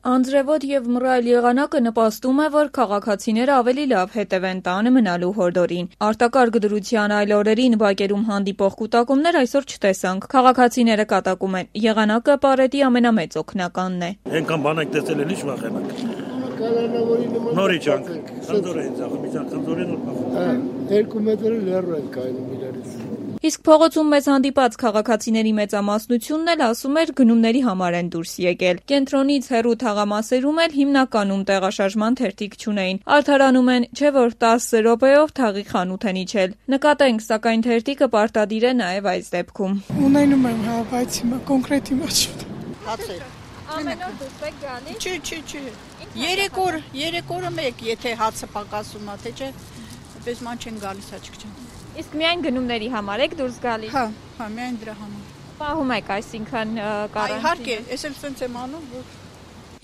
Անձրևոտ եւ մռայլ եղանակը նպաստում է, որ քաղաքացիները ավելի լավ հետևեն տանը մնալու հորդորին։ Արտակարգ դրության այլ օրերին բակերում հանդիպող կուտակումներ այսօր չտեսանք։ Քաղաքացիները կատակում են, եղանակը պարետի ամենամեծ օգնականն է։ Այնքան բան եք տեսել, էլ ինչ վախենակ։ Նորից անք, խնդորեն ձախ, միջան խնդորեն ու 2 մետր լեռու են կայնում իրարից։ Իսկ փողոցում մեզ հանդիպած քաղաքացիների մեծամասնությունն էլ ասում էր գնումների համար են դուրս եկել։ Կենտրոնից հեռու թաղամասերում էլ հիմնականում տեղաշարժման թերթիկ չունեին։ Արդարանում են, չէ որ 10 րոպեով թաղի խանութ են իջել։ Նկատենք, սակայն թերթիկը պարտադիր է նաև այս դեպքում։ Ունենում եմ, հա, բայց հիմա կոնկրետ հիմա չունեմ։ Հացեր։ Ամեն օր դուրս եք գալիս։ Չի։ 3 օրը մեկ, եթե հացը պակասում է, թե չէ, պես ման չեն գալիս աչք չեն։ Իսկ միայն գնումների համար եք դուրս գալիս։ Հա, միայն դրա համար։ Պահում եք, այսինքն կարանտին։ Իհարկե, ես էլ սենց եմ անում, որ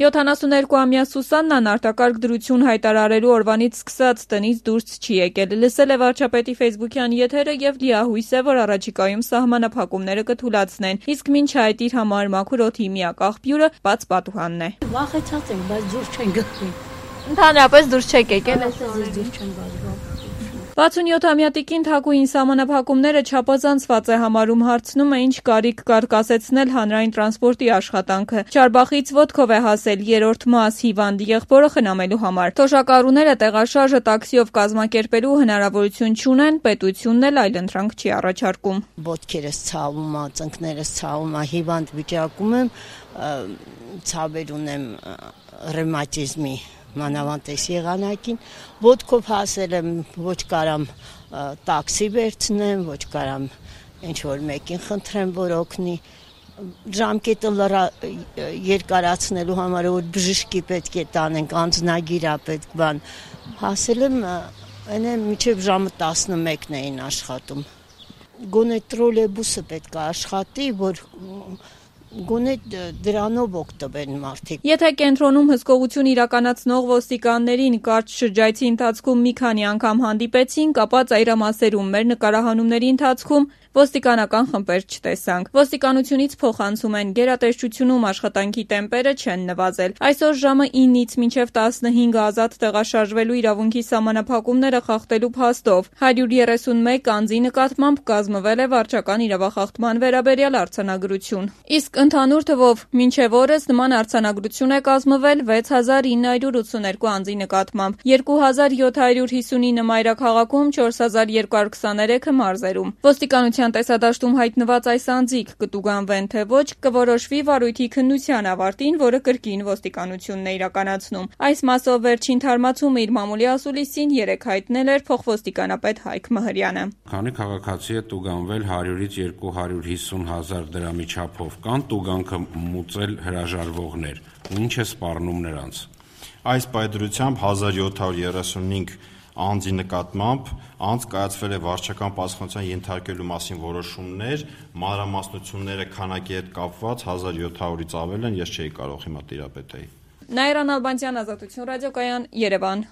72-ամյա Սուսաննան արտակարգ դրություն հայտարարելու օրվանից սկսած տնից դուրս չի եկել։ Լսել է վարչապետի ֆեյսբուքյան եթերը եւ լիահույս է, որ առաջիկայում սահմանափակումները կթուլացնեն։ Իսկ մինչ այդ իր համար մաքուր օդի միակ աղբյուրը բաց պատուհանն է։ Վախեցած ենք, բայց դուրս չեն գալի։ Ընդհանրապես դուրս չեք եկել։ Դուրս չեն գալի։ 67-ամյա տիկին Թակուհին սահմանափակումները չափազանցված է համարում, հարցնում է, ինչ կարիք կար կասեցնել հանրային տրանսպորտի աշխատանքը։ Չարբախից ոտքով է հասել 3-րդ մաս հիվանդ եղբորը խնամելու համար։ Թոշակառուները տեղաշարժը տաքսիով կազմակերպելու հնարավորություն չունեն, պետությունն էլ այլընտրանք չի առաջարկում։ Ոտքերս ցավում է, ծնկներս ցավում է, հիվանդ վիճակում եմ, ցավեր ունեմ ռևմատիզմի մանավանդ եղանակին, ոտքով հասել եմ, ոչ կարամ տաքսի վերցնեմ, ոչ կարամ ինչ-որ մեկին խնդրեմ, որ օգնի, ժամկետը երկարացնելու համար, որ բժշկի պետք է տանենք, անձնագիր է պետք բան, հասել եմ, մինչև ժամը 11-ն էին աշխատում, գոնե տրոլեյբուսը պետք է աշխատի, որ գոնե դրանով օգտվեն մարդիկ։ Եթե կենտրոնում հսկողություն իրականացնող ոստիկաններին կարճ շրջայցի ընթացքում մի քանի անգամ հանդիպեցինք, ապա ծայրամասերում մեր նկարահանումների ընթացքում ոստիկանական խմբեր չտեսանք։ Ոստիկանությունից փոխանցում են, գերատեսչությունում աշխատանքի տեմպերը չեն նվազել։ Այսօր ժամը 9-ից մինչև 15 ազատ տեղաշարժվելու իրավունքի սահմանափակումները խախտելու փաստով 131 անձի նկատմամբ կազմվել է վարչական իրավախախտման վերաբերյալ արձանագրություն։ Իսկ ընդհանուր թվով մինչև օրս նման արձանագրություն է կազմվել 6982 անձի նկատմամբ, 2759 մայրաքաղաքում, 4223-ը մարզերում։ Ոստիկանության տեսադաշտում հայտնված այս անձիկ կտուգանվեն թե ոչ, կորոշվի վարույթի քննության ավարտին, որը կրկին ոստիկանությունն է իրականացնում։ Այս մասով վերջին թարմացումը իր մամուլի ասուլիսին 3 հայտնել էր փոխոստիկանապետ Հայկ Մհրյանը։ Քանի քաղաքացի է տուգանվել 100-ից 250 հազար դրամի չափով, կան տուգանքը մուծել հրաժարվողներ, ինչ է սպառնում նրանց։ Այս պայծրությամբ 1735 անձի նկատմամբ անց կայացվել է վարչական պաշտպանության ենթարկելու մասին որոշումներ, մանրամասնությունները քանակի հետ կապված 1700-ից ավել են, ես չէի կարող հիմա տիրապետեի։ Նաիրա Նալբանդյան, Ազատություն ռադիոկայան, Երևան։